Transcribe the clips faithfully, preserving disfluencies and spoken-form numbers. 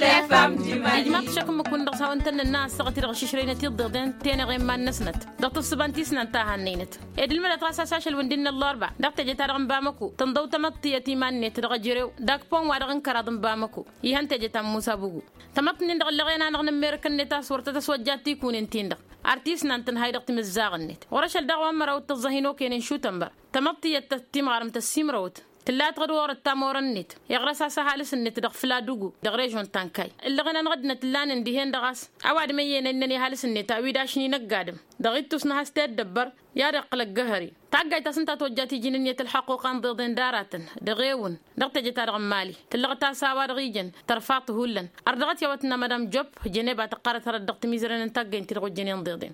Ijmaḍ-t ašăk ǝmmǝk-wǝn-dăɣ s-hawăn-tăn-nǝnna ăssaɣăt-i-dăɣ ašǝšrăynăt iḍeḍen tenăɣe n-iman-năsnăt dăɣ-tǝssǝba n-tisnant ta hannăynăt. Ed ǝlmǝdăt ɣas a-s ašăl-wǝn dd-innă ăllarba dăɣ-teje-ta-dăɣ n-bamăko tǝnḍăw tamăḍt tiyyăt iman-net dăɣ-ejărew dak pon-wa-dăɣ n-kăraḍ n-bamăko. Ihăn teje ta n-musa bugu tamăḍt-nin-dăɣ ǝllăɣen-anăɣ n-ămmerǝk-net a-s wăr tăt-ăswăjja tikunen-tin-dăɣ. Ar tisnant tǝnhay dăɣ-timǝzzaɣ-net ɣur-ašăl daɣ wa n-măraw d-tăẓẓăh inokăyăn n-išutănbăr. Tamăḍt tiyyăt ta timɣarăm tăssimrăwăt tǝlla tăɣ-dd-orăt tamorăn-net iɣrăs-as ăhalǝs-net dăɣ-fǝla d-ugu dăɣ-režon ta n-kayy. Ǝllăɣen-anăɣ ăddinăt ǝllanen dihen-dăɣ a-s ăwadǝm ăyyănăynen i-ăhalǝs-net a-wi d-ašni n-ăgg-adǝm dăɣ-ittus n-ehăz teddăbbăr i-ad-iqqǝl ăggăhăre. Taggayt ta s-ǝnta tojjat iji n-ǝnniyăt ălxăqquqa n-iḍeḍen d-aratăn dăɣ-ewǝn dăɣ-teje-ta-dăɣ n-imali tǝllăɣăt-as a-wa-dăɣ ijăn tărfa tǝhullăn. Ărdăɣăt i-a-wa tǝnna madam job. Jăneb a tăqqarăt hărăt dăɣ-timizăren n-taggăynt-ti-dăɣ ojjănen d-iḍen.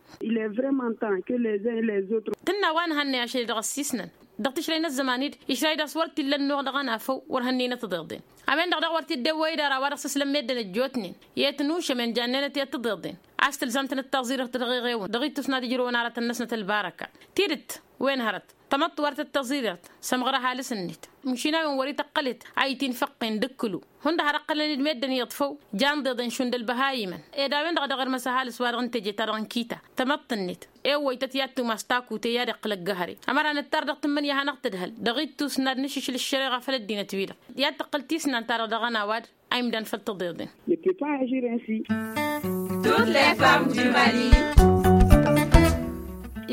Tǝnna wa n-hannăy ašăl-i-dăɣ ăssiisnăn dăɣ-tǝšrăy n-ăzzăman-dd išray d-a-s wăr t-illa ănnuɣ dăɣ-ănafăw wăr hănnăynăt d-iḍen. A-wen-dăɣ daɣ wăr t-dd-ewwăy d-ara wa-dăɣ s-ǝslăm meddǝn ăjjootnen i-ătnušămen jannenăt i-ăttăḍeḍen a-s tǝlzam-tăn d-taẓirăɣt dăɣ-eɣewăn dăɣ-ittus n-ad-ǝjrǝwăn aratăn-năsnăt ălbarăka. Tidǝt wen hărăt tamăḍt wăr tăt-tăẓirăt sămɣăr ăhalǝs-net. Măšin a-wen wăr-ităqqălet a itinfăqqen d-ǝkkǝlu hundăɣ har ǝqqălăn-dd meddǝn i-iḍfăw. Jan d-iḍen šund ălbăhayimăn ed a-wen-dăɣ a dăɣ-irmăs ăhalǝs wa dăɣ-n teje-ta-dăɣ n-kita tamăḍt-net. Ewwăy-tăt i-ad-tumas takute i-ad-iqqǝl ăggăhăre ămăra nǝttar dăɣ-tǝmmǝnǝya a hanăɣ-tǝdhăl dăɣ-ittus n-ad-nǝšǝšǝl ăššăreɣa făll-ăddinăt-wi-dăɣ. I-ad-tǝqqǝl tisnant-ta-dăɣ dăɣ-ănawad a imdan făll-tăḍeḍen. Toutes les femmes du mali.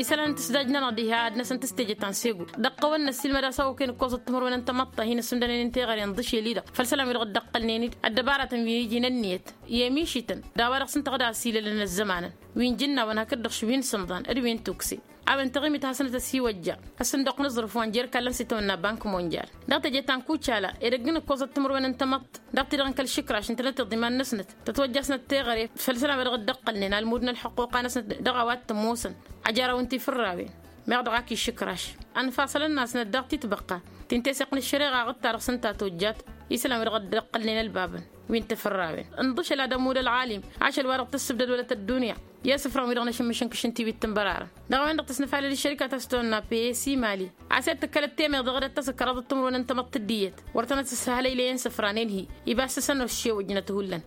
Isălan n-tǝsdaj-nănăɣ diha ad-năsăn tǝstejăt ta n-segu dăɣ-kăwăn-năssilmăd a-s a-okăyăn ǝkkoẓăt timǝrwen n-tamăḍt ta hin-ăssundănen n-teɣăre n-iḍǝšel-i-dăɣ făll-isălan wi-dăɣ dd-ăqqălnen-dd ăddăbaratăn wi iji n-ǝnniyăt i-emišităn d-a-wa dăɣ-s ǝnta ad-ăsilălăn ăzzămanăn wi n-jǝnnaw ănhăk-dd-dăɣ wi n-sǝmḍan d-wi n-tukse. A-wen taɣimit hasăn-tăsiwăjja ăssǝnduq n-aẓrǝf wa n-jer-ikallăn s-itawănna bank monjal dăɣ-teje ta n-kucala edăgg n-ǝkkoẓăt timǝrwen n-tamăḍt dăɣ-ti-dăɣ n-kăl-išǝkraš ǝntănăt iḍiman-năsnăt tătwăjja-snăt teɣăre făll-isălan wa dăɣ-dd-ăqqălnen almud n-ălḥăqquqa-năsnăt dăɣ-a-wa t-ămoosăn. Ăjrăw n-tifǝrrawen meɣ dăɣ-ak išǝkraš ănfaṣălăn-asnăt daɣ-titbăqqa ti n-teseɣt n-ăššăreɣa aɣǝtta-dăɣ s-ǝnta tojjat. Isălan wi-dăɣ dd-ăqqălnen ălbabăn wi n-tifǝrrawen ǝnḍǝšăl ad-ămud ălɣalim ašăl wa dăɣ-tǝssǝbdăd wălăt ăddunya i-asǝfran wi-dăɣ n-ašǝmmǝš n-kǝšǝnti wi t-ǝnbărarăn dăɣ-a-wen-dăɣ tăsnăfalăl iššărika ta s-tăwănna psi mali. A-s i-ad-tǝkkălăt temeḍ dăɣ-dd-ăttăsǝkkăraḍ d-timǝrwen n-tamăḍt d-iyyăt wăr tănăt-ǝshăhlăylăyăn isǝfran enhi. Iba s-tǝsăn oššewăjnăt hullan.